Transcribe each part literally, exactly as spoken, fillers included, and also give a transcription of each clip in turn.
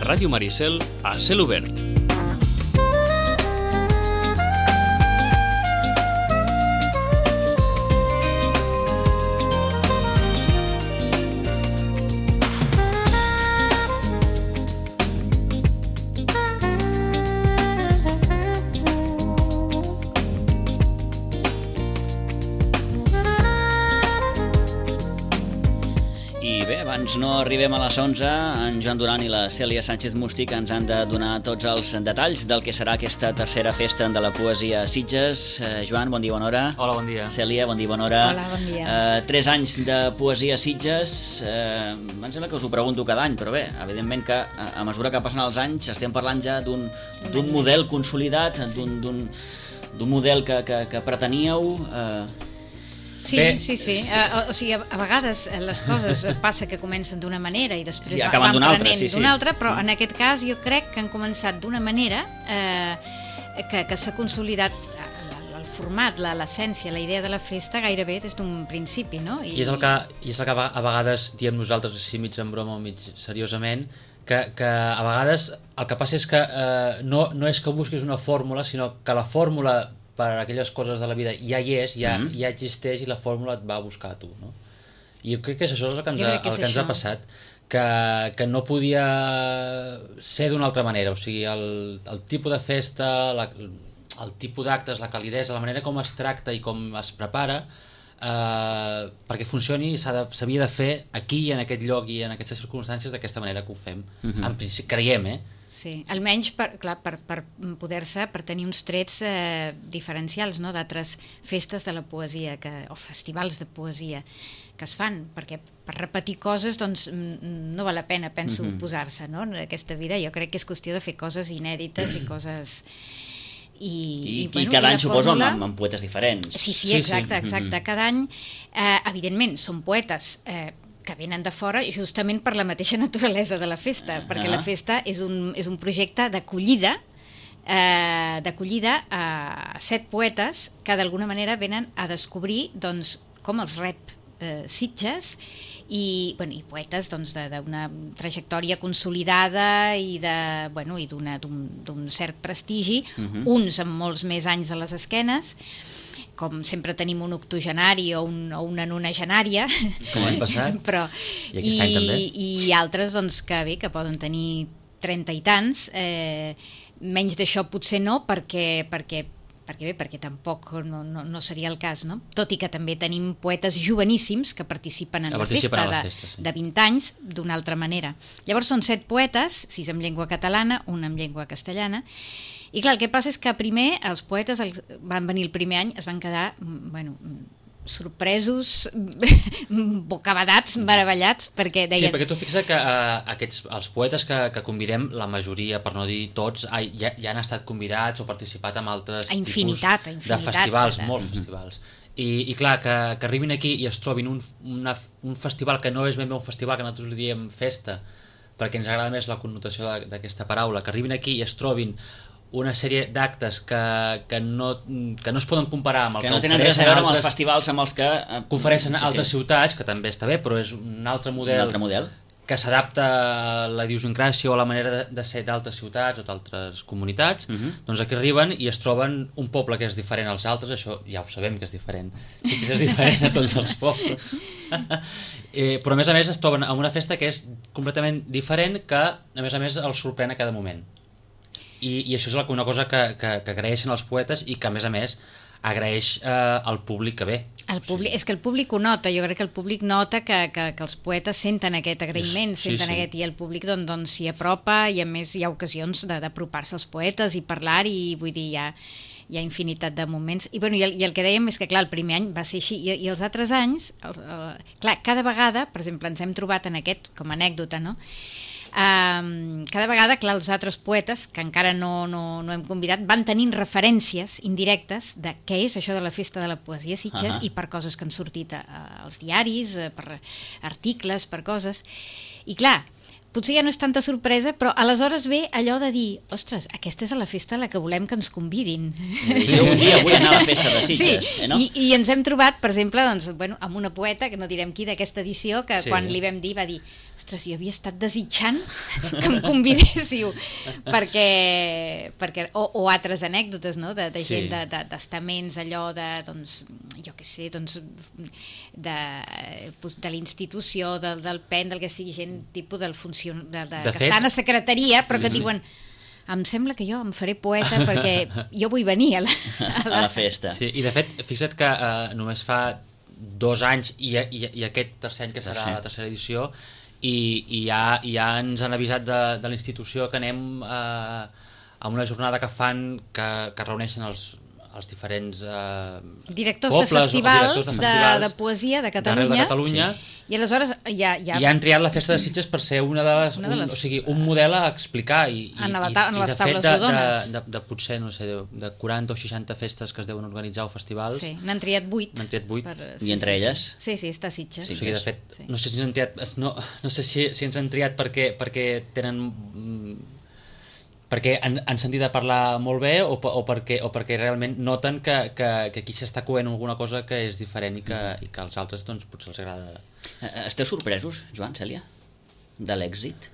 Ràdio Maricel a Cel Obert. No arribem a les onze, en Joan Duran i la Cèlia Sánchez Mustí que ens han de donar tots els detalls del que serà aquesta tercera festa de la poesia a Sitges. Eh, Joan, bon dia, bona hora. Hola, bon dia. Cèlia, bon dia, bona hora. Hola, bon dia. Eh, tres anys de poesia a Sitges. Eh, em sembla que us ho pregunto cada any, però bé, evidentment que a, a mesura que passen els anys estem parlant ja d'un d'un model consolidat, sí. d'un d'un model que, que, que preteníeu... Eh, Sí, Bé, sí, sí. Uh, o sigui, a, a vegades les coses passa que comencen d'una manera i després sí, van d'una altra, prenent sí, sí. d'una altra, però en aquest cas jo crec que han començat d'una manera eh, que, que s'ha consolidat el, el format, l'essència, la idea de la festa gairebé des d'un principi, no? I, I, és el que, I és el que a vegades diem nosaltres així mig en broma o mig seriosament, que, que a vegades el que passa és que eh, no, no és que busquis una fórmula, sinó que la fórmula per a aquelles coses de la vida ja hi és, ja, mm. ja existeix i la fórmula et va a buscar a tu, no? I jo crec que això és el que ens, ha, el que ens ha passat, que, que no podia ser d'una altra manera, o sigui, el, el tipus de festa, la, el tipus d'actes, la calidesa, la manera com es tracta i com es prepara, eh, perquè funcioni s'havia de, de fer aquí, en aquest lloc i en aquestes circumstàncies d'aquesta manera que ho fem. Mm-hmm. En principi, creiem, eh? Sí, almenys per, clar, per, per poder-se, per tenir uns trets eh, diferencials, no?, d'altres festes de la poesia que, o festivals de poesia que es fan, perquè per repetir coses doncs no val la pena, penso, mm-hmm. posar-se, no?, en aquesta vida. Jo crec que és qüestió de fer coses inèdites i coses... I, I, i, bueno, i cada i any suposo fórmula... amb, amb poetes diferents. Sí, sí, exacte, exacte. Mm-hmm. Cada any, eh, evidentment, són poetes eh, que venen de fora justament per la mateixa naturalesa de la festa, uh-huh. perquè la festa és un, és un projecte d'acollida eh, d'acollida a set poetes que d'alguna manera venen a descobrir doncs, com els rep eh, Sitges i, bueno, i poetes doncs, d'una trajectòria consolidada i de, bueno, i d'un cert prestigi, uh-huh. uns amb molts més anys a les esquenes, com sempre tenim un octogenari o, un, o una nonagenària, com l'any passat, però, i aquest any també. I altres doncs, que, bé, que poden tenir trenta i tants, eh, menys d'això potser no, perquè, perquè, perquè, bé, perquè tampoc no, no, no seria el cas, no? Tot i que també tenim poetes joveníssims que participen en que la participen festa, la de, festa sí. de vint anys d'una altra manera. Llavors són set poetes, sis en llengua catalana, un en llengua castellana. I clar, el que passa és que primer els poetes els, van venir el primer any, es van quedar bueno, sorpresos, bocabadats, meravellats, perquè deien... Sí, perquè tu fixa't que uh, aquests, els poetes que, que convidem, la majoria, per no dir tots, uh, ja, ja han estat convidats o participat en altres a infinitat, tipus a infinitat, de festivals, de... molts mm-hmm. festivals. I, i clar, que, que arribin aquí i es trobin un, una, un festival que no és ben bé un festival, que nosaltres li diem festa, perquè ens agrada més la connotació d'aquesta paraula, que arribin aquí i es trobin una sèrie d'actes que, que, no, que no es poden comparar amb el que, que no tenen res a veure amb altres, els festivals amb els que, que ofereixen sí, sí. altres ciutats, que també està bé, però és un altre model, un altre model. que s'adapta a la idiosincràsia o a la manera de, de ser d'altres ciutats o d'altres comunitats. Uh-huh. Doncs aquí arriben i es troben un poble que és diferent als altres, això ja ho sabem que és diferent, sí que és diferent a tots els pobles. eh, però a més a més es troben en una festa que és completament diferent, que a més a més els sorprèn a cada moment. I, i això és una cosa que, que, que agraeixen els poetes i que a més a més agraeix eh, al públic que ve. El públic, sí. És que el públic ho nota, jo crec que el públic nota que, que, que els poetes senten aquest agraïment, sí, senten sí. aquest, i el públic doncs, doncs s'hi apropa, i a més hi ha ocasions d'apropar-se als poetes i parlar, i vull dir, hi ha, hi ha infinitat de moments, i, bueno, i, el, i el que dèiem és que clar, el primer any va ser així, i, i els altres anys, el, el, clar, cada vegada, per exemple, ens hem trobat en aquest, com a anècdota, no?, Um, cada vegada, clar, els altres poetes que encara no, no, no hem convidat van tenint referències indirectes de què és això de la festa de la poesia a Sitges, uh-huh. i per coses que han sortit a, a, als diaris, a, per articles, per coses, i clar, potser ja no és tanta sorpresa, però aleshores ve allò de dir, ostres, aquesta és a la festa a la que volem que ens convidin. Jo un dia vull anar a la festa de Sitges, sí, eh, no? I, i ens hem trobat, per exemple, doncs, bueno, amb una poeta, que no direm qui, d'aquesta edició, que Sí. quan li vam dir va dir, ostres, jo havia estat desitjant que em convidéssiu, perquè, perquè o, o altres anècdotes, no?, de, de Sí. gent, de, de, d'estaments, allò de, doncs, jo què sé, doncs, de, de l'institució, del, del P E N, del que sigui, gent tipus del funcion... de, de, De que fet- estan a secretaria, però que diuen, em sembla que jo em faré poeta perquè jo vull venir a la, A la festa. Sí, i de fet, fixa't que eh, només fa dos anys i, i, i aquest tercer any que serà Tercer. la tercera edició i, i ja, ja ens han avisat de, de la institució que anem eh, a una jornada que fan que, que reuneixen els, els diferents eh, directors pobles, de festivals, directors de, de, festivals de poesia de d'arreu Catalunya, de Catalunya. sí. I aleshores ja, ja, I han triat la festa de Sitges per ser una de les, Una de les- un, o sigui, un model a explicar i, i, En la ta- en i, i les de taules fet de, rodones. de, de, de potser, no sé, de, de quaranta o seixanta festes que es deuen organitzar o festivals, sí, n'han triat vuit. N'han triat vuit. I entre elles? Sí, sí, està a Sitges. o sigui, de fet, Sí. no sé si ens han triat, es- no, no sé si, si ens han triat perquè, perquè tenen mm, perquè han, han sentit a parlar molt bé o, pe- o, perquè, o perquè realment noten que, que, que aquí s'està coent alguna cosa que és diferent i que, i que als altres doncs, potser els agrada. Eh, Esteu sorpresos, Joan, Cèlia, de l'èxit?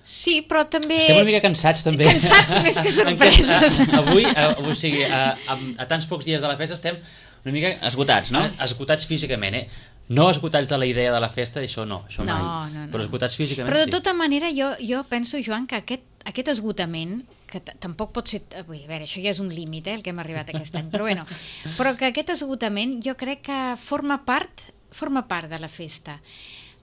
Sí, però també... Estem una mica cansats també. Cansats més que sorpresos. Avui, a, o sigui, a, a, a tants pocs dies de la festa estem una mica... Esgotats, no? a- Esgotats físicament, eh? No esgotats de la idea de la festa, això no, això No, mai. no, no. Però esgotats físicament Però de sí. tota manera jo, jo penso, Joan, que aquest, aquest esgotament, que t- tampoc pot ser... Vull dir, a veure, això ja és un límit, eh, el que hem arribat aquest any, però bueno, però que aquest esgotament jo crec que forma part, forma part de la festa.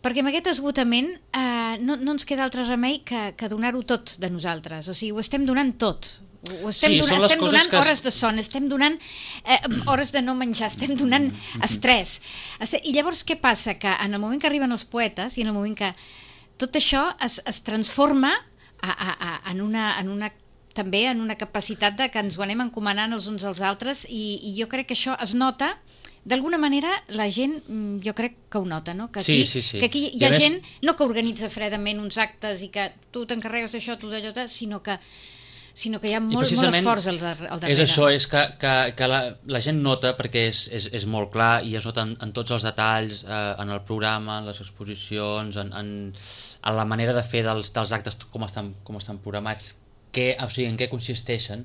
Perquè amb aquest esgotament eh, no, no ens queda altre remei que, que donar-ho tot de nosaltres. O sigui, ho estem donant tot. Ho estem, Sí, donant, són les estem coses donant que es- hores de son, estem donant eh, hores de no menjar, estem donant estrès. Este- I llavors què passa? Que en el moment que arriben els poetes i en el moment que tot això es, es transforma a, a, a, en, una, en una també en una capacitat de que ens ho anem encomanant els uns als altres i, i jo crec que això es nota. D'alguna manera la gent, mm, jo crec que ho nota, no? Que aquí, Sí, sí, sí. que aquí hi I a ha més- gent no que organitza fredament uns actes i que tu t'encarregues d'això, tu d'allò, sinó que sinó que hi ha I molt, molt precisament esforç al, dar al darrere. És això, és que, que, que la, la gent nota, perquè és, és, és molt clar i es nota en, en tots els detalls, eh, en el programa, en les exposicions, en, en, en la manera de fer dels, dels actes, com estan, com estan programats, que, o sigui, en què consisteixen,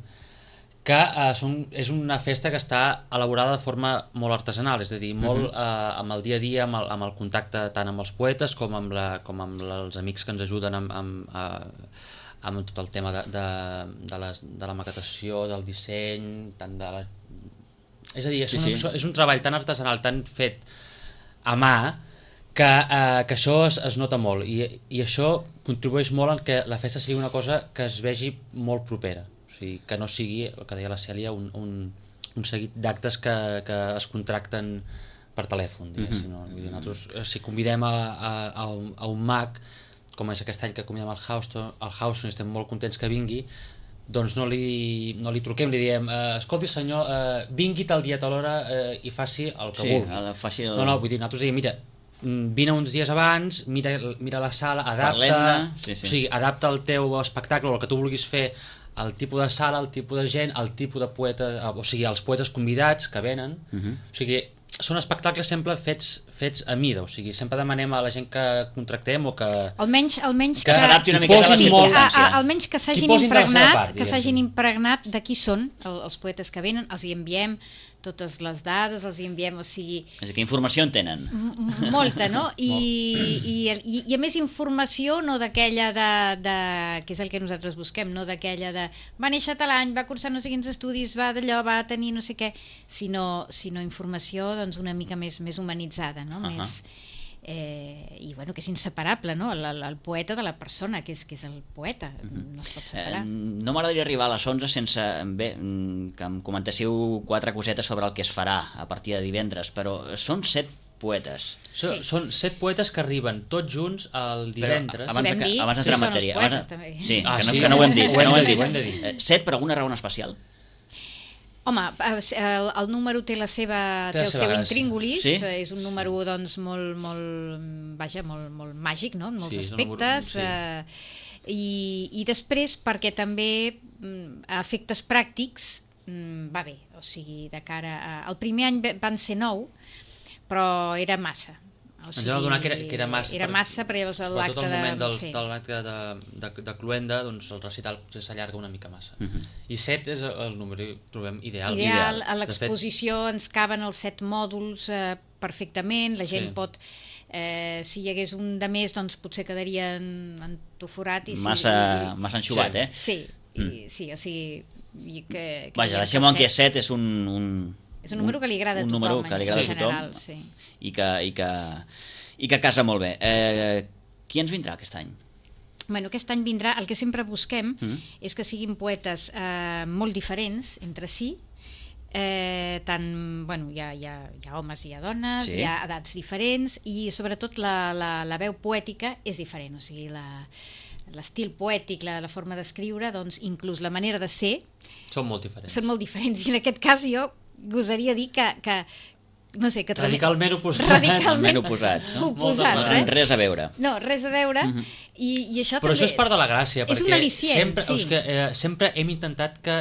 que eh, són, és una festa que està elaborada de forma molt artesanal, és a dir, molt eh, amb el dia a dia, amb el, amb el contacte tant amb els poetes com amb, la, com amb la, els amics que ens ajuden amb, amb, eh, amb tot el tema de, de, de, les, de la maquetació, del disseny, tant de la... És a dir, és, Sí, un, sí. és un treball tan artesanal, tan fet a mà, que, eh, que això es, es nota molt i, i això contribueix molt en que la festa sigui una cosa que es vegi molt propera, o sigui, que no sigui, el que deia la Cèlia, un, un, un seguit d'actes que, que es contracten per telèfon, diguéssim. No? Vull dir, nosaltres, eh, si convidem a, a, a, un, a un mag, com és aquest any que convidem al Houston, al Houston i estem molt contents que vingui, doncs no li, no li truquem, li diem eh, escolti senyor, eh, vingui tal dia, tal hora eh, i faci el que Sí, vulgui. a la faci el... No, no, vull dir, nosaltres diem, mira, mm, vine uns dies abans, mira, mira la sala, adapta, Parlem-ne, sí, sí. O sigui, adapta el teu espectacle, el que tu vulguis fer, el tipus de sala, el tipus de gent, el tipus de poeta, o sigui, els poetes convidats que venen, Uh -huh. o sigui, són espectacles sempre fets, fets a mida, o sigui, sempre demanem a la gent que contractem o que... Almenys, almenys Que s'adapti una hi miqueta a la posin sí, molt- a, circumstància. a, almenys que s'hagin posin de la seva impregnat, part, que s'hagin diguéssim. impregnat de qui són el, els poetes que venen, els hi enviem totes les dades, els hi enviem, o sigui, És a dir, que informació en tenen. m- molta, no? I, i, i, i a més informació no d'aquella de, de, que és el que nosaltres busquem, no d'aquella de va néixer tal any, va cursar no sé quins estudis, va d'allò, va tenir no sé què, sinó, sinó informació doncs una mica més, més humanitzada, no? Uh-huh. Més, eh, i bueno, que és inseparable, no? El, el, el poeta de la persona, que és, que és el poeta, no es pot Eh, separar. no m'agradaria arribar a les onze sense bé, mm, que em comentéssiu quatre cosetes sobre el que es farà a partir de divendres, però són set poetes. So, Sí. Són set poetes que arriben tots junts el divendres. Però abans, de, Podem que- dir abans qui d'entrar en són els matèria... poetes, abans de- també. Sí, Ah, que, no, sí? que no ho hem dit. Ho que hem no ho de hem dir, dit. ho hem de dir. Eh, set per alguna raó en especial? Home, el, el número té la seva té, Té la el seva seu gràcia. intríngulis, Sí? és un número doncs molt, molt, vaja, molt, molt màgic, no? En molts Sí, és un número- aspectes. sí. Eh, i, I després perquè també mm, a efectes pràctics mm, va bé, o sigui, de cara a... El primer any van ser nou, però era massa. O Ens vam adonar que era, que era massa. Era massa, però llavors Sobretot l'acte al moment de... del, sí. de l'acte de, de, de Cluenda, doncs el recital potser s'allarga una mica massa. Mhm. I set és el número que trobem ideal. Ideal, a De l'exposició ens caben els set mòduls eh, perfectament, la gent Sí. pot... Eh, si hi hagués un de més, doncs potser quedaria en- entoforat. I si, Massa, i, massa enxugat, Sí. eh? Sí, i, sí, o sigui... I que, que Vaja, diguem deixem-ho en que que set és un... un és un número que li agrada a un tothom, número que li agrada en a tothom general, sí. i, que, i, que, i que casa molt bé. Eh, qui ens vindrà aquest any? Bueno, aquest any vindrà, el que sempre busquem Mm. és que siguin poetes eh, molt diferents entre si, eh, tant, bueno, hi ha, hi, ha, hi ha homes i hi ha dones, Sí. hi ha edats diferents i sobretot la, la, la veu poètica és diferent, o sigui, la, l'estil poètic, la, la forma d'escriure, doncs inclús la manera de ser, Són molt diferents. són molt diferents i en aquest cas jo gosaria dir que, que no sé, que Radicalment oposats. radicalment Ben oposats, no? oposats, Molta eh? No res a veure. No, res a veure, Mhm. i, i això Però també... això és part de la gràcia, És perquè un al·licient, sempre, sí. és que, eh, sempre hem intentat que,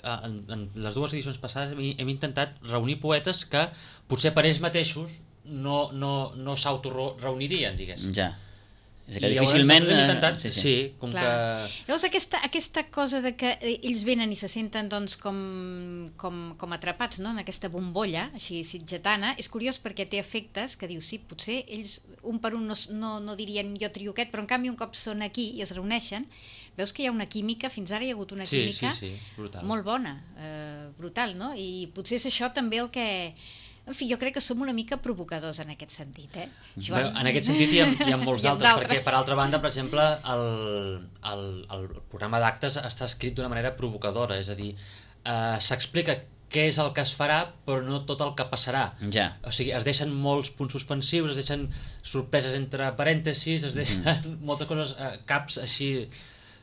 eh, en, en les dues edicions passades, hem, hem intentat reunir poetes que potser per ells mateixos no, no, no s'autoreunirien, diguéssim. Ja. És que I llavors difícilment... nosaltres hem eh, intentat, sí, sí, com Clar. que... Llavors aquesta, aquesta cosa de que eh, ells venen i se senten doncs, com, com, com atrapats, no? En aquesta bombolla així sitgetana, és curiós perquè té efectes que dius, sí, potser ells un per un no, no, no dirien jo trio aquest, però en canvi un cop són aquí i es reuneixen, veus que hi ha una química, fins ara hi ha hagut una Sí, química sí, sí, brutal. molt bona, eh, brutal, no? I potser és això també el que... En fi, jo crec que som una mica provocadors en aquest sentit, eh? Bueno, en aquest sentit hi ha, hi ha molts Hi ha d'altres, perquè d'altres. per altra banda, per exemple, el, el, el programa d'actes està escrit d'una manera provocadora, és a dir, eh, s'explica què és el que es farà, però no tot el que passarà. Ja. O sigui, es deixen molts punts suspensius, es deixen sorpreses entre parèntesis, es deixen mm. moltes coses, eh, caps així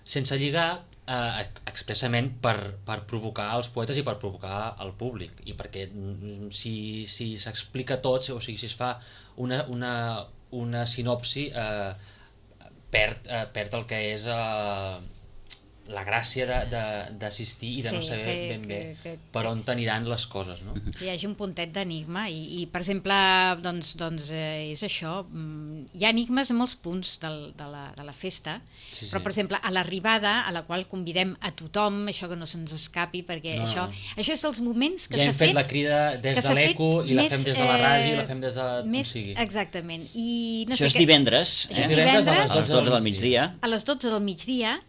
sense lligar, eh, expressament per, per provocar els poetes i per provocar el públic, i perquè mm, si, si s'explica tot, o sigui, si es fa una, una, una sinopsi, eh, perd, eh, perd el que és eh, la gràcia de- de- d'assistir i de Sí, no saber que- ben bé que- que- per on t'aniran les coses, no? Que hi hagi un puntet d'enigma i, i per exemple, doncs, doncs eh, és això, mm, hi ha enigmes a molts punts del, de, la, de la festa, Sí, però sí. per exemple a l'arribada, a la qual convidem a tothom, això que no se'ns escapi, perquè No, això, no. això és dels moments que Ja s'ha hem fet fet la crida des que de s'ha fet l'Eco i la més, fem des de la ràdio i la eh, fem des de on més, sigui. exactament. I no Això sé és què- divendres, Això eh? és divendres. A les dotze del migdia. a les dotze del migdia.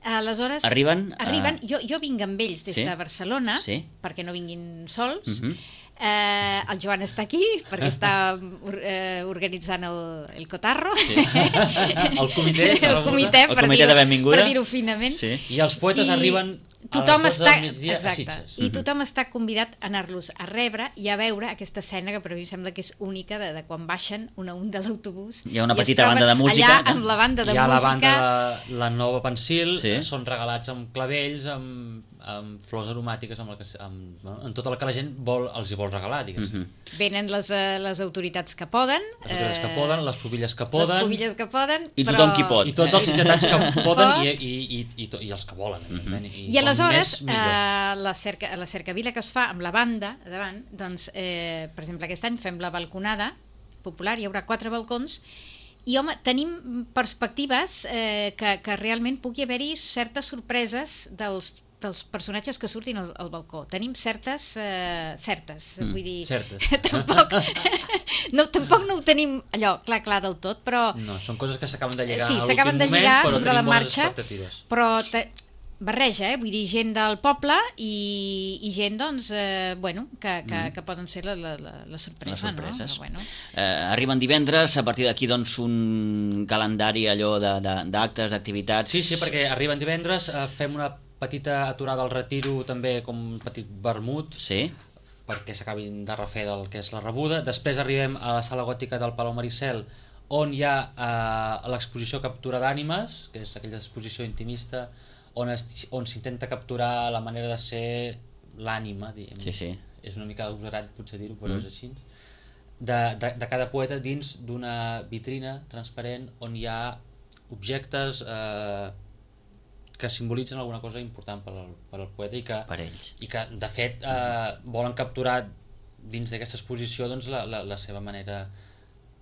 Aleshores, Arriben a- arriben jo, jo vinc amb ells des Sí? de Barcelona, Sí. perquè no vinguin sols. Mhm. eh, el Joan està aquí, perquè està or, eh, organitzant el, el cotarro. Sí. El comitè de el rebuda. comitè, El per comitè dir-ho de benvinguda. per dir-ho finament. Sí. I els poetes I arriben a tothom les dotze està, del migdia exacte, a Sitges. I tothom està convidat a anar-los a rebre i a veure aquesta escena que per a mi em sembla que és única de, de quan baixen una a un de l'autobús. Hi ha una i es petita troben banda de música. Allà amb la banda de Hi ha la música. banda de la Nova Pensil, Sí. sí. són regalats amb clavells, amb, amb flors aromàtiques, amb, el que, amb, bueno, amb tot el que la gent vol, els hi vol regalar, diguéssim. Mhm. Venen les, eh, les autoritats que poden. Les autoritats que eh, poden, les pubilles que poden, Les pubilles que poden. I tothom però... qui pot. i tots els sitgetans que poden Pot. i, i, i, i, to- i els que volen. evidentment. I, I aleshores, com més, millor. eh, la, cerca, la cercavila que es fa amb la banda a davant, doncs, eh, per exemple, aquest any fem la balconada popular, hi haurà quatre balcons, i home, tenim perspectives eh, que, que realment pugui haver-hi certes sorpreses dels dels personatges que surtin al, al balcó. Tenim certes, eh, certes, Mm, vull dir... certes. tampoc, no, tampoc no ho tenim allò clar, clar del tot, però... No, són coses que s'acaben de lligar Sí, a l'últim s'acaben de moment, lligar però sobre tenim la bones marxa, expectatives. però te, barreja, eh? Vull dir, gent del poble i, i gent, doncs, eh, bueno, que, que, Mm. que poden ser la, la, la, la sorpresa, Les sorpreses. no? Però, bueno. Eh, arriben divendres, a partir d'aquí doncs un calendari allò de- de- d'actes, d'activitats... Sí, sí, perquè arriben divendres, eh, fem una petita aturada al retiro, també com un petit vermut, Sí, perquè s'acabin de refer del que és la rebuda. Després arribem a la sala gòtica del Palau Maricel, on hi ha eh, l'exposició Captura d'ànimes, que és aquella exposició intimista on es- on s'intenta capturar la manera de ser l'ànima, diguem. Sí, sí. És una mica agosarat potser dir-ho, però Mm. és així. De, de, de cada poeta dins d'una vitrina transparent on hi ha objectes eh, que simbolitzen alguna cosa important per al, per al poeta i que, Per ells. i que de fet eh, volen capturar dins d'aquesta exposició doncs, la, la, la seva manera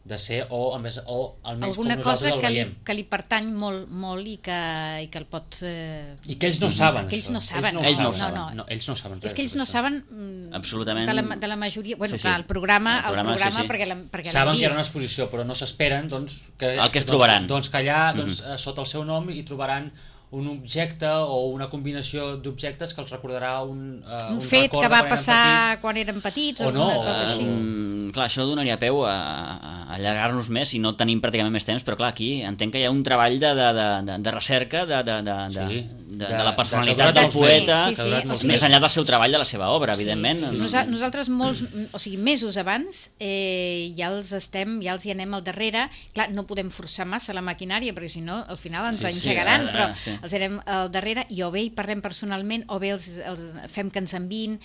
de ser o, a més, o almenys alguna com cosa nosaltres el que li, veiem. que li pertany molt, molt i que, i que el pot... Eh... I que ells no saben. Que ells això. no saben. Ells no ho no, saben. no. No, ells no saben res. És que ells no d'això. saben mm, Absolutament. de la, de la majoria... Bueno, Sí, sí. clar, el programa, El el programa, programa, sí, sí. perquè l'hem perquè Saben l'hem que hi ha una vist. exposició, però no s'esperen doncs, que, El que es doncs, trobaran. Doncs que allà, doncs, uh-huh. sota el seu nom, hi trobaran un objecte o una combinació d'objectes que els recordarà un, uh, Un un fet record que de va quan eren passar petits. quan eren petits o, O no, alguna cosa o- així. Mm, clar, això donaria peu a, a allargar-nos més i no tenim pràcticament més temps, però clar, aquí entenc que hi ha un treball de, de, de, de, de recerca de, de, de, de, Sí. de, De- de la de- personalitat de- del de- poeta, sí, sí, sí. O sigui, més enllà del seu treball, de la seva obra, evidentment. Sí, sí. Nosa nosaltres molts, o sigui, mesos abans eh, ja els estem, ja els hi anem al darrere. Clar, no podem forçar massa la maquinària perquè si no al final ens Sí, sí, engegaran, ara, però sí. els anem al darrere i o bé hi parlem personalment o bé els, els fem que ens enviïn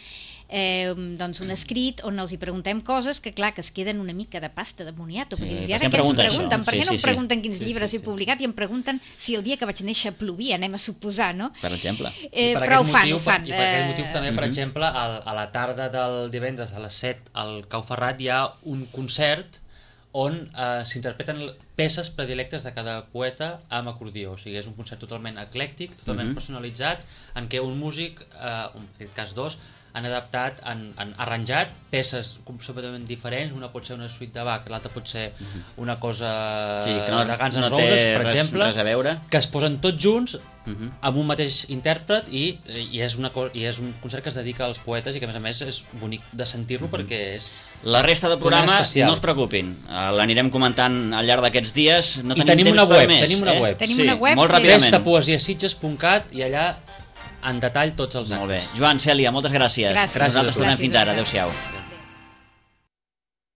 eh, doncs un escrit on els hi preguntem coses que clar, que es queden una mica de pasta de moniato, Sí, perquè dius, per i què ara em què ens pregunten pregunten? això? Per Sí, què no sí, em sí. pregunten quins Sí, llibres sí, he sí. publicat i em pregunten si el dia que vaig néixer plovia, anem a suposar, no? Per exemple. Eh, I per però ho aquest fan, motiu, ho fan. I per aquest eh, motiu també, per Mhm. exemple, al, a la tarda del divendres a les set al Cau Ferrat hi ha un concert on eh, s'interpreten peces predilectes de cada poeta amb acordió. O sigui, és un concert totalment eclèctic, totalment Mhm. personalitzat, en què un músic, eh, en aquest cas dos, han adaptat, han, han arranjat peces completament diferents. Una pot ser una suite de Bach, l'altra pot ser una cosa Sí, que no, de Guns N' no Roses, té per res, exemple, res a veure. que es posen tots junts Mhm. amb un mateix intèrpret i, i, és una co i és un concert que es dedica als poetes i que a més a més és bonic de sentir-lo perquè és... La resta del programa, Totalment especial. no us preocupin, eh, l'anirem comentant al llarg d'aquests dies. No I tenim, tenim temps una per web, més, tenim una eh? web. Tenim sí, una web molt que- ràpidament. festa poesia sitges punt cat i allà en detall tots els actes. Molt bé. Joan, Cèlia, moltes gràcies. Gràcies. Nosaltres Gràcies. tornem fins ara. Gràcies. Adéu-siau.